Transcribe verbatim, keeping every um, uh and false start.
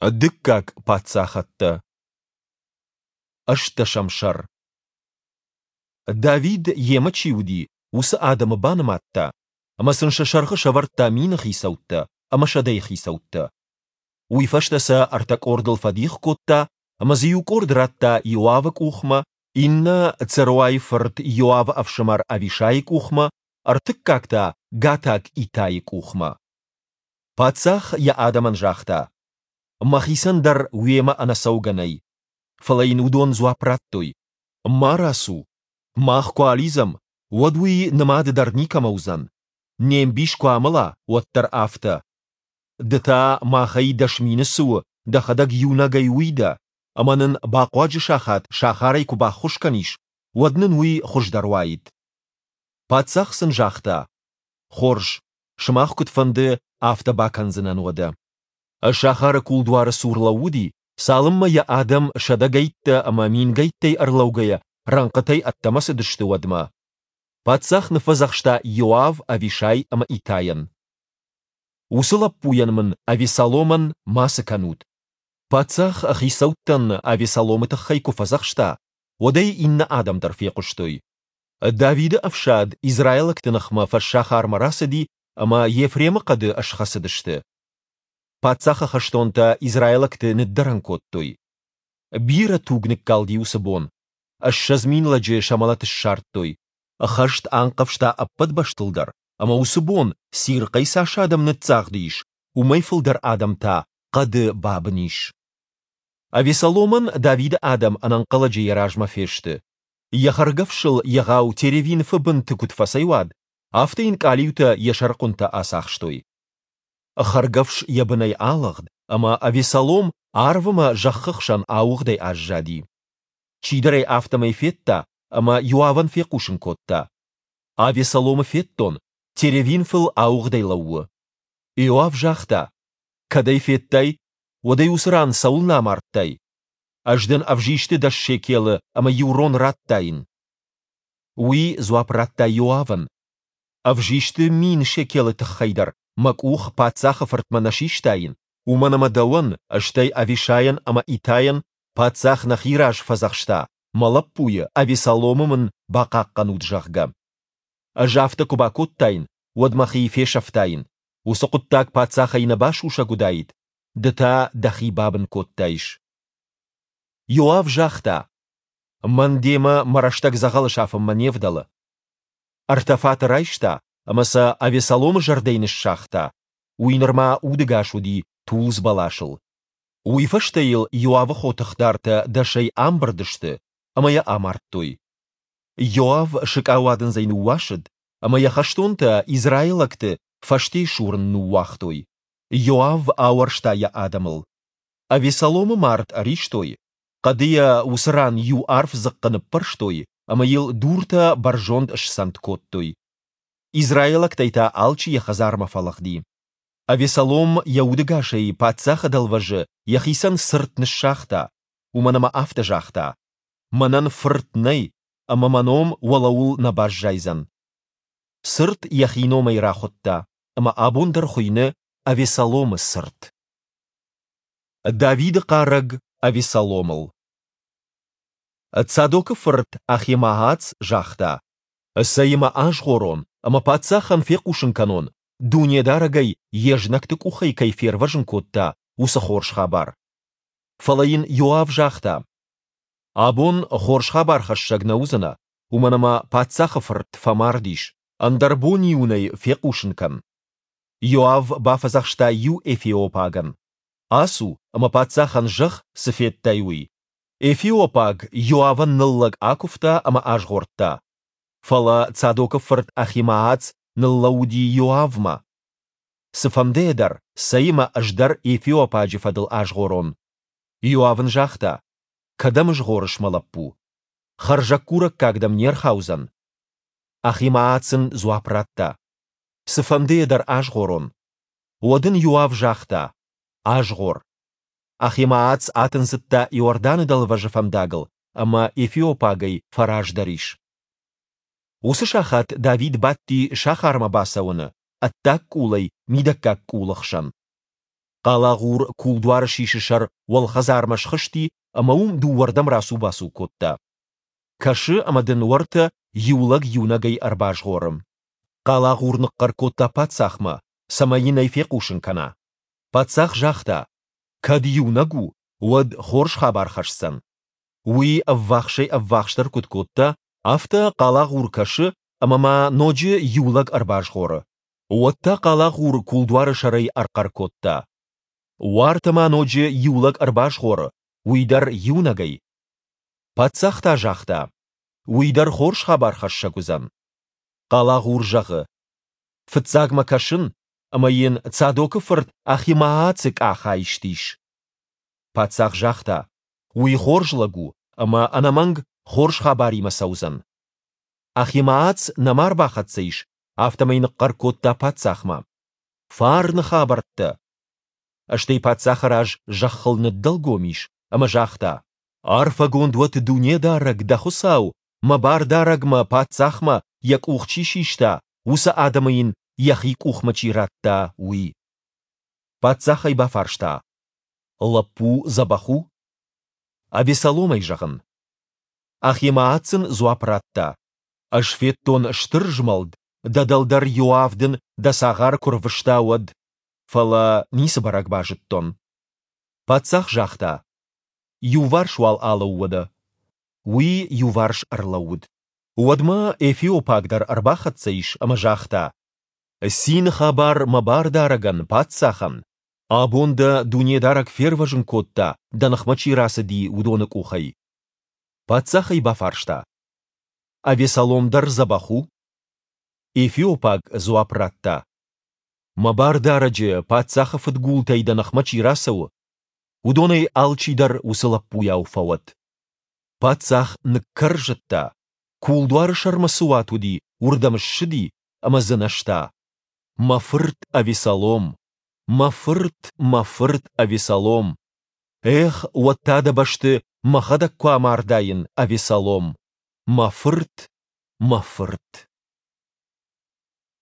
Дыккаг паддзахӕдтӕ. Ӕстдӕсӕм сӕр. Давид, йемӕ чи уыди, уыцы адӕмы банымадта ӕмӕ сын сӕ сӕргъы сӕвӕрдта мины хицӕуттӕ ӕмӕ сӕдӕйы хицӕуттӕ. Уый фӕстӕ сӕ ӕртӕ къордыл фӕдих кодта ӕмӕ дзы иу къорд радта Иоавы къухмӕ, иннӕ Церуайы фырт Иоавы ӕфсымӕр Авишайы къухмӕ, ӕртыккаг та гатаг Итайы къухмӕ. Паддзах йӕ адӕмӕн загъта: «Мӕхицӕн дӕр уемӕ ӕнӕцӕугӕ нӕй». Фӕлӕ йын уыдон дзуапп радтой: «Ма рацу. Мах куы алидзӕм, уӕд уый нымады дӕр никӕмӕ уыдзӕн. Не мбис куы амӕла, уӕддӕр афтӕ. Ды та, махӕй дӕс мины цы у, дӕхӕдӕг иунӕгӕй уый дӕ, ӕмӕ нын бахъуаджы сахат сахарӕй куы баххуыс кӕнис, уӕд нын уый хуыздӕр уаид». Паддзах сын загъта: «Хорз, сымах куыд фӕнды, афтӕ бакӕндзынӕн уӕдӕ». Сахары кулдуары цур лӕууыди, цалынмӕ йӕ адӕм сӕдӕгӕйттӕ ӕмӕ мингӕйттӕй ӕрлӕугӕйӕ рӕнхъытӕй ӕддӕмӕ цыдысты, уӕдмӕ. Паддзах ныффӕдзӕхста Иоав, Авишай ӕмӕ Итайӕн: «Уыцы лӕппуйӕн мын, Авессаломӕн, мацы кӕнут». Паддзах хицӕуттӕн Авессаломы тыххӕй куы фӕдзӕхста, уӕд ӕй иннӕ адӕм дӕр фехъуыстой. Давиды ӕфсад израилӕгты ныхмӕ фӕссахармӕ рацыди ӕмӕ Ефремы хъӕды схӕцыдысты. Паддзахы хӕстонтӕ израилӕгты ныддӕрӕн кодтой. Бирӕ туг ныккалди уыцы бон. Ссӕдз мин лӕджы сӕ мӕлӕт ссардтой. Хӕст анхъӕвзта ӕппӕт бӕстыл дӕр, ӕмӕ уыцы бон цирхъӕй цас адӕм ныццагъды ис, уымӕй фылдӕр адӕм та хъӕды бабын ис. Авессаломӕн Давиды адӕм ӕнӕнхъӕлӕджы йӕ размӕ фесты. Йӕ хӕргӕфсыл егъау теревинфы бынты куыд фӕцӕйуад, афтӕ йын къалиутӕ йӕ сӕрыхъуынтӕ ацахстой. Хӕргӕфс йӕ бынӕй алыгъд, ӕмӕ Авессалом арв ӕмӕ зӕххы хсӕн ауыгъдӕй аззади. Чидӕр ӕй афтӕмӕй федта ӕмӕ Иоавӕн фехъусын кодта: «Авессаломы федтон, теревинфыл ауыгъдӕй лӕууы». Иоав загъта: «Кӕд ӕй федтай, уӕд ӕй уыцы ран цӕуылнӕ амардтай? Ӕз дын ӕвзисты дӕс шекелы ӕмӕ иу рон радтаин». Уый дзуапп радта Иоавӕн: «Ӕвзисты мин шекелы тыххӕй дӕр мӕ къух паддзахы фыртмӕ нӕ систаин, уымӕн ӕмӕ дӕуӕн, стӕй Авишайӕн ӕмӕ Итайӕн паддзах нӕхи раз фӕдзӕхста, мӕ лӕппуйы, Авессаломы мын бахъахъхъӕнут, зӕгъгӕ. Ӕз афтӕ куы бакодтаин, уӕд мӕхи фесӕфтаин, уыцы хъуыддаг паддзахӕй нӕ басусӕг уыдаид, ды та дӕхи бабын кодтаис». Иоав загъта: «Мӕн демӕ мӕ рӕстӕг дзӕгъӕлы сафынмӕ не вдӕлы». Ӕртӕ фаты райста ӕмӕ сӕ Авессаломы зӕрдӕйы ныссагъта, уый нырма удӕгас уыди тулдз бӕласыл. Уый фӕстӕ йыл Иоавы хотыхдартӕ дӕсӕй амбырд сты ӕмӕ йӕ амардтой. Иоав сыкъауадындзӕй ныууасыд, ӕмӕ йӕ хӕстонтӕ израилӕгты фӕсте сурын ныууагътой. Иоав ауӕрста йӕ адӕмыл. Авессаломы мард ӕристой, хъӕды йӕ уыцы ран иу арф дзыхъхъы ныппӕрстой ӕмӕ йыл дуртӕ бӕрзонд сцӕнд кодтой. Израилӕгтӕй та алчи йӕ хӕдзармӕ фӕлыгъди. Авессалом йӕ удӕгасӕй паддзахы дӕлвӕзы йӕхицӕн цырт ныссагъта, уымӕн ӕмӕ афтӕ загъта: «Мӕнӕн фырт нӕй, ӕмӕ мӕ ном уӕлӕуыл нӕ баззайдзӕн». Цырт йӕхи номӕй рахуыдта, ӕмӕ абон дӕр хуыйны Авессаломы цырт. Давиды хъарӕг Авессаломыл. Цадокы фырт Ахимаац загъта: «Цӕй-ма азгъорон ӕмӕ паддзахӕн фехъусын кӕнон, Дунедарӕг ӕй йе знӕгты къухӕй кӕй фервӕзын кодта, уыцы хорз хабар». Фӕлӕ йын Иоав загъта: «Абон хорз хабархӕссӕг нӕ уыдзынӕ, уымӕн ӕмӕ паддзахы фырт фӕмард ис, ӕндӕр бон-иу ын ӕй фехъусын кӕн». Иоав бафӕдзӕхста иу эфиопагӕн: «Ацу ӕмӕ паддзахӕн зӕгъ, цы федтай, уый». Эфиопаг Иоавӕн ныллӕг акуывта ӕмӕ азгъордта. Фӕлӕ Цадокы фырт Ахимаац ныллӕууыди Иоавмӕ. Цыфӕндыйӕ дӕр, цӕй ӕмӕ ӕз дӕр эфиопаджы фӕдыл азгъорон. Иоав ын загъта: «Кӕдӕм згъорыс, мӕ лӕппу? Хӕрзӕггурӕггаг дӕм не рхаудзӕн». Ахимаац ын дзуапп радта: «Цыфӕндыйӕ дӕр азгъорон». Уӕд ын Иоав загъта: «Азгъор». Ахимаац атындзыдта Иорданы дӕлвӕзы фӕндагыл ӕмӕ эфиопагӕй фӕраздӕр ис. Уыцы сахат Давид бадти сахармӕ бацӕуӕны, ӕддаг къулӕй мидӕггаг къулы хсӕн. Хъалагъур кулдуары сисы сӕр уӕлхӕдзармӕ схызти ӕмӕ уым дыууӕрдӕм рацу-бацу кодта. Кӕсы, ӕмӕ дын уӕртӕ иу лӕг иунӕгӕй ӕрбазгъоры. Хъалагъур ныхъхъӕр кодта паддзахмӕ, цӕмӕй йын ӕй фехъусын кӕна. Паддзах загъта: Кӕд иунӕг у, уӕд хорз хабар хӕсдзӕн. Уый ӕввахсӕй-ӕввахсдӕр куыд кодта, афтӕ хъалагъур кӕсы, ӕмӕ ма ноджы иу лӕг ӕрбазгъоры. Уӕд та хъалагъур кулдуары сӕрӕй ӕрхъӕр кодта: Уартӕ ма ноджы иу лӕг ӕрбазгъоры, уый дӕр иунӕгӕй. Паддзах та загъта: Уый дӕр хорз хабархӕссӕг уыдзӕн. Хъалагъур зӕгъы: Фыццагмӕ кӕсын, ӕмӕ йын Цадокы фырт Ахимаацы къах айст ис. Паддзах загъта: Уый хорз лӕг у ӕмӕ ӕнӕмӕнг хорз хабаримӕ цӕудзӕн. Ахимаац нӕма рбахӕццӕ ис, афтӕмӕй ныхъхъӕр кодта паддзахмӕ: Фарны хабӕрттӕ! Стӕй паддзахы раз зӕххыл ныддӕлгом ис ӕмӕ загъта: Арфӕгонд уӕд Дунедарӕг, дӕ Хуыцау, мӕ бардарӕгмӕ, паддзахмӕ, йӕ къух чи систа, уыцы адӕмы йын йӕхи къухмӕ чи радта, уый. Паддзах ӕй бафарста: Лӕппу дзӕбӕх у? Авессаломӕй зӕгъын. Ахимаац ын дзуапп радта: Ӕз федтон стыр змӕлд, дӕ дӕлдӕр Иоав дын дӕ цагъары куы рвыста, уӕд, фӕлӕ ницы бӕрӕг базыдтон. Паддзах загъта: Иуварс уал алӕуу уӕдӕ. Уый иуварс ӕрлӕууыд. Уӕдмӕ эфиопаг дӕр ӕрбахӕццӕ ис ӕмӕ загъта: Цины хабар мӕ бардарӕгӕн, паддзахӕн! Абон дӕ Дунедарӕг фервӕзын кодта, дӕ ныхмӕ чи рацыди, уыдоны къухӕй. Паддзах ӕй бафарста: Авессалом дӕр дзӕбӕх у? Эфиопаг дзуапп радта: Мӕ бардарӕджы, паддзахы фыдгултӕй дӕ ныхмӕ чи рацӕуы, уыдонӕй алчидӕр уыцы лӕппуйау фӕуӕд. Паддзах ныккӕрзыдта, кулдуары сӕрмӕ цы уат уыди, уырдӕм ссыди ӕмӕ дзынӕзта: Мӕ фырт Авессалом! Мӕ фырт, мӕ фырт Авессалом! Эх, уӕд та дӕ бӕсты мӕхӕдӕг куы амардаин, Авессалом! Мӕ фырт, мӕ фырт!